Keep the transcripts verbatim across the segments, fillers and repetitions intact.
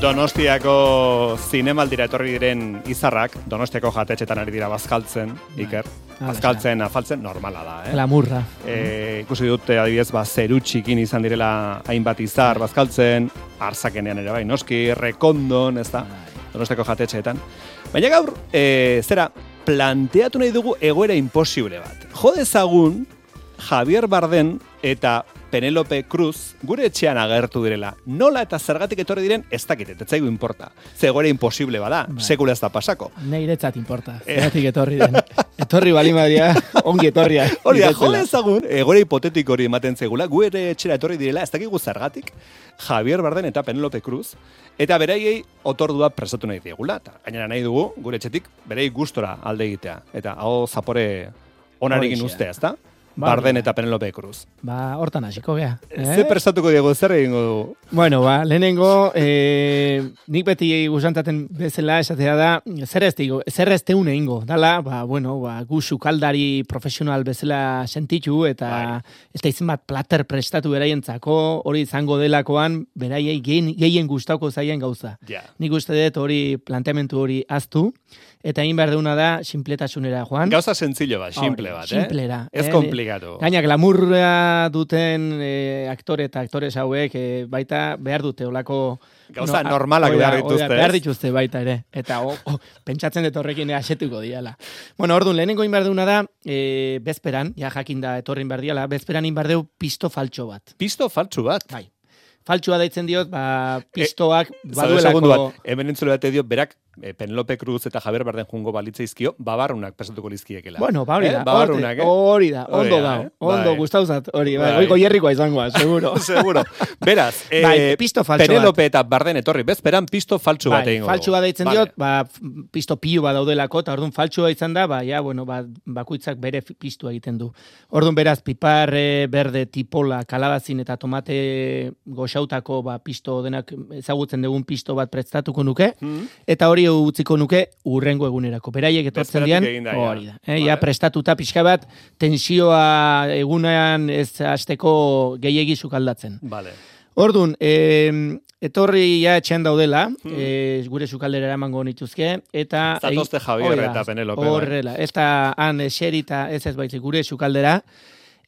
Donostiako zinemaldira etorri diren izarrak, Donostiako jatetxetan ari dira bazkaltzen, Iker. Bazkaltzen, afaltzen, normala da, eh? Lamurra. E, ikusi dute, adibidez, ba, zeru txikin izan direla hainbat izar bazkaltzen, Arzakenean ere bai, noski, Rekondon, ez da, Donostiako jatetxeetan. Baina gaur, e, zera, planteatu nahi dugu egoera imposible bat. Jo dezagun, Javier Bardem eta Penélope Cruz gure etxean agertu direla. Nola eta zergatik etorri diren, ez dakit, ez zaigu importa. Ze egoera imposible bada, bai. Sekula ez da pasako. Neiretzat importa, zergatik etorri den. Etorri bali madria, ongi etorria. Hori da, jo dezagun, egoera hipotetiko hori ematen zegula, gure etxera etorri direla, ez dakigu zergatik, Javier Bardem eta Penélope Cruz, eta beraiei otordua prestatu nahi diegula. Eta gainera nahi dugu, gure etxetik, berei gustora alde egitea. Eta hau zapore onarekin ustea, ez da? Bardem eta Penélope Cruz. Ba, hortan hasiko gea. Eh? Ze prestatuko diego, zer egingo dugu? Bueno, ba, lehenengo, eh, nik beti gusantaten bezala esatea da, zer ez digo, zer ez teun egingo. Dala, ba, bueno, ba, gu sukaldari profesional bezala sentitu, eta bai. Ez da izan bat plater prestatu beraientzako, hori izango delakoan, beraiei gehien gustauko zaien gauza. Yeah. Nik uste dut hori planteamentu hori aztu, eta egin behar deuna da, simpletasunera, Juan. Gauza sentzillo bat, simple bat, eh? Simplera. Ez eh? komplikatu. Gaina, glamurra duten eh, aktore eta aktores hauek eh, baita behar dute olako... Gauza no, normalak behar dituzte. Behar dituzte baita ere. Eta oh, oh, pentsatzen dut horrekin asetuko diala. Bueno, orduan, lehenengo egin behar deuna da, eh, bezperan, ja jakinda etorrin behar diala, bezperan egin behar deu pisto faltxo bat. Pisto faltxo bat? Bai. Faltsua daitzen diot, ba, pistoak e, baduelako... Bat, hemen entzule bat edio, berak, e, Penélope Cruz eta Javier Bardem jungo balitzaizkio, babarrunak presatuko lizkiekela. Bueno, ba, hori da, eh? Babarrunak, eh? hori da, ondo da, eh? ondo, gustauzat, hori, bai, hori goierrikoa izangoa, seguro. Seguro. Beraz, eh, bai, pisto faltsu Penélope eta Bardem etorri, bezperan pisto faltsu bat egingo. Bai, faltsua daitzen vale. diot, ba, pisto pilu bat daudelako, eta orduan faltsua izan da, ba, ja, bueno, ba, bakuitzak bere pistua egiten du. Orduan beraz, pipar, berde, tipola, kalabazin eta tomate goxautako, ba, pisto denak ezagutzen dugun pisto bat prestatuko nuke, hmm. eta hori utziko nuke urrengo egunerako. Beraiek etortzen dian, hori da. Eh, vale. Ja prestatuta pixka bat, tensioa egunean ez hasteko gehiegi sukaldatzen. Vale. Orduan, eh, etorri ja etxean daudela, hmm. eh, gure sukaldera emango nituzke, eta... Zatozte Javier eta Penélope. Horrela, ez da han eserita ez ez baitzik gure sukaldera,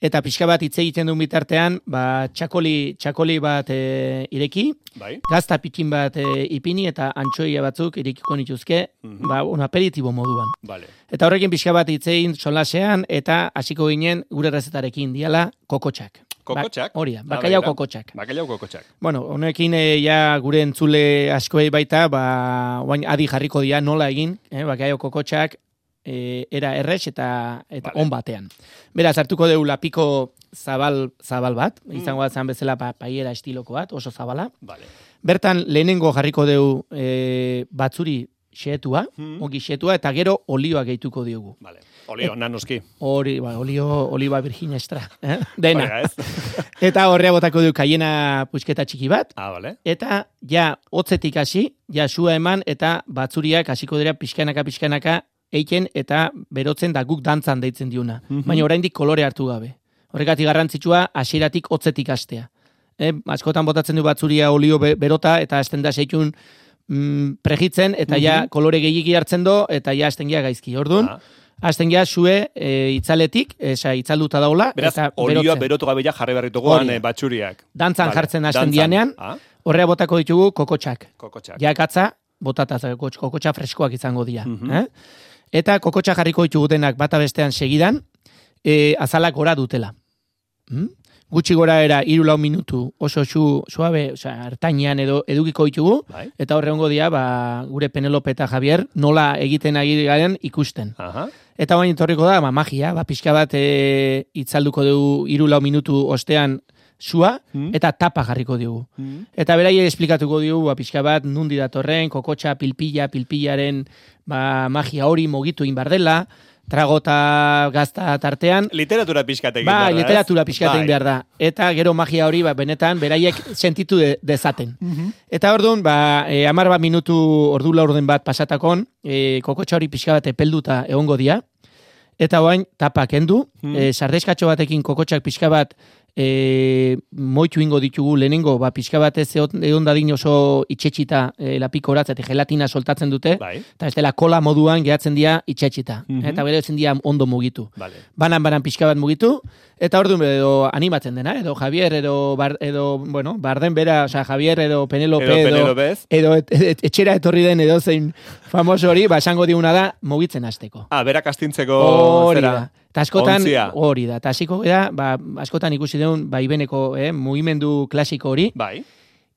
eta pixka bat hitz egiten duen bitartean, ba, txakoli, txakoli bat e, ireki, bai. Gazta pikin bat e, ipini eta antxoia batzuk irekiko nituzke, mm-hmm. ba, un aperitibo moduan. Vale. Eta horrekin pixka bat hitz egin solasean, eta hasiko ginen gure rezetarekin diala kokotxak. Kokotxak? Ba, hori da, bakaiau kokotxak. Bakaiau kokotxak. Bueno, honekin e, ja gure entzule askoei baita, ba, oain adi jarriko dia nola egin, eh, bakaiau kokotxak, E, era errex eta eta vale. On batean. Beraz, hartuko deu lapiko zabal, zabal bat, mm. izango bat zan bezala pa, paiera estiloko bat, oso zabala. Vale. Bertan, lehenengo jarriko deu e, batzuri xetua, mm. ongi xetua, eta gero olioa gehituko diogu. Vale. Olio, nanoski. Hori, ba, olio, oliva virgin extra. Eh? Dena. Oiga, eta horrea botako deu kaiena pusketa txiki bat. Ah, vale. Eta ja, hotzetik hasi, ja sua eman, eta batzuriak hasiko dira pixkanaka, pixkanaka, eiken eta berotzen da guk dantzan deitzen diuna. Mm-hmm. Baina oraindik kolore hartu gabe. Horregatik garrantzitsua hasieratik hotzetik hastea. Eh, askotan botatzen du batzuria olio berota eta hasten da seikun mm, pregitzen eta mm-hmm. ja kolore gehiegi hartzen do eta ja hasten gea gaizki. Orduan, ah. hasten gea sue e, itzaletik, esa itzalduta daula. Beraz, eta olioa berotu gabe ja jarri berrituguan e, batxuriak. Dantzan vale. Jartzen hasten dianean, ah. horrea botako ditugu kokotxak. Kokotxak. Ja katza, botata kokotxa freskoak izango dira. Mm-hmm. Eh? Eta kokotxa jarriko ditugutenak bata bestean segidan, e, azalak gora dutela. Hmm? Gutxi gora era hiru lau minutu oso su, suabe, osea, hartainean edo edukiko ditugu, bai. Eta horre hongo dia, ba, gure Penélope eta Javier nola egiten ari garen ikusten. Aha. Eta bain etorriko da, ba, magia, ba, pixka bat e, itzalduko dugu hiru lau minutu ostean sua, hmm. eta tapa jarriko dugu. Hmm. Eta berai esplikatuko dugu, ba, pixka bat, nundi datorren, kokotxa, pilpilla, pilpillaren ba, magia hori mogitu inbardela, tragota gazta tartean. Literatura pixkatekin ba, behar da. Literatura pixkatekin behar da. Eta gero magia hori, ba, benetan, beraiek sentitu de, dezaten. Mm-hmm. Eta orduan, ba, e, amar bat minutu ordu laurden bat pasatakon, e, kokotxa hori pixka bat epelduta egongo dia. Eta oain, tapak endu, mm. e, sardeskatxo batekin kokotxak pixka bat e, moitu ingo ditugu lehenengo, ba, pixka batez egon dadin oso itxetxita e, lapiko horatzetik gelatina soltatzen dute, bai. eta ez dela kola moduan gehatzen dira itxetxita, Mhm. eta bere etzen dira ondo mugitu. Vale. Banan-banan pixka bat mugitu, eta orduan edo animatzen dena, edo Javier, edo, bar, edo bueno, Barden bera, osea, Javier, edo Penelope, Edo edo, Penelopez. edo et, et, etxera etorri den edo zein famoso hori, ba, esango diuna da, mugitzen hasteko. Ah, berak astintzeko Hori zera. da. Eta askotan, Ontzia. hori da. Eta hasiko da, ba, askotan ikusi duen, ba, ibeneko eh, mugimendu klasiko hori. Bai.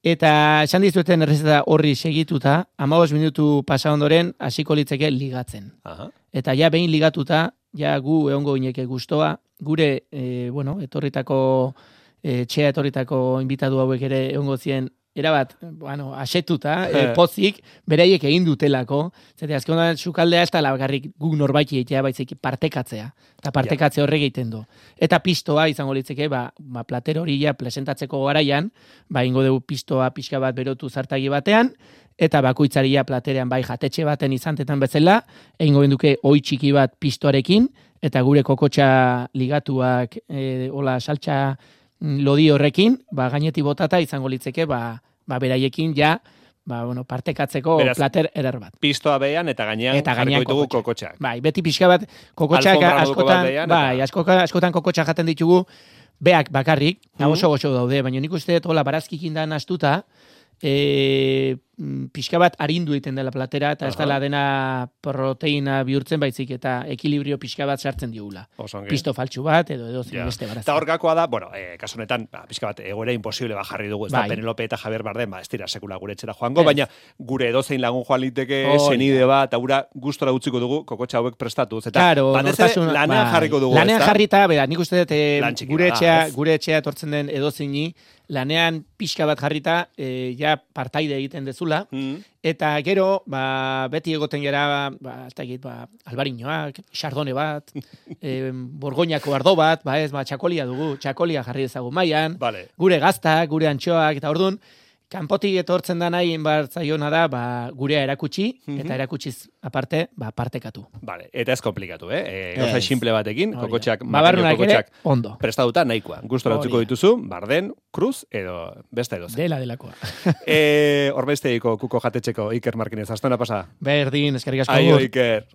Eta esan dizuten errezeta horri segituta, hamabost minutu pasa ondoren, hasiko litzeke ligatzen. Aha. Eta ja behin ligatuta, ja gu egongo gineke gustoa, gure, e, bueno, etorritako, e, txea etorritako inbitadu hauek ere egongo zien, erabat, bueno, asetuta, e, pozik, beraiek egin dutelako, zete azkenean sukaldea ez da lagarrik guk norbaiti egitea, baizik partekatzea, eta partekatze horrek egiten du. Eta pistoa izango litzeke, ba, ba plater hori ja presentatzeko garaian, ba ingo dugu pistoa pixka bat berotu zartagi batean, eta bakoitzaria platerean bai jatetxe baten izantetan bezala, egingo genduke oi txiki bat pistoarekin, eta gure kokotxa ligatuak, e, hola, saltxa lodi horrekin, ba, gaineti botata izango litzeke, ba, ba beraiekin ja, ba, bueno, partekatzeko Beraz, plater erar bat. Pistoa behan eta gainean eta gainean jarriko ditugu kokotxak. Bai, beti pixka bat kokotxak askotan, behan, bai, askotan, askotan kokotxak jaten ditugu, beak bakarrik, mm-hmm. oso goxo daude, baina nik uste dut, hola, barazkikin da nastuta, e, pixka bat arindu egiten dela platera, eta ez dela dena proteina bihurtzen baizik, eta ekilibrio pixka bat sartzen diugula. Pisto faltsu bat, edo edo zin beste barazki. Eta hor gakoa da, bueno, eh, kasu honetan, ba, pixka bat, egoera imposible ba jarri dugu, ez bai. da, Penelope eta Javier Bardem, ba, ez dira sekula gure etxera joango, es. baina gure edozein lagun joan liteke, oh, senide ja. bat, aura gustora utziko dugu, kokotxa hauek prestatuz. Eta claro, batez ere, lanean bai. jarriko dugu. Lanean jarrita, bera, nik uste dut, eh, gure etxea, gure etxea etortzen den edozeini, lanean pixka bat jarrita, e, ja partaide egiten dezula, mm. eta gero, ba, beti egoten gera, ba, ez da egit, ba, albariñoak, chardone bat, e, borgoñako ardo bat, ba ez, ba, txakolia dugu, txakolia jarri ezagu mailan, vale. gure gaztak, gure antxoak, eta orduan, kanpotik etortzen da nahi inbartzaiona da, ba, gurea erakutsi, mm-hmm. eta erakutsiz aparte, ba, partekatu. Vale, eta ez komplikatu, eh? E, Gauza simple batekin, kokotxak, babarrunak ere, ondo. Prestatuta nahikoa. Gustora utzuko dituzu, Barden, Cruz, edo besta edo zen. Dela delakoa. e, Horbesteiko kuko jatetxeko Iker Markinez, astona pasa. Berdin, eskerrik asko. Aio, Iker.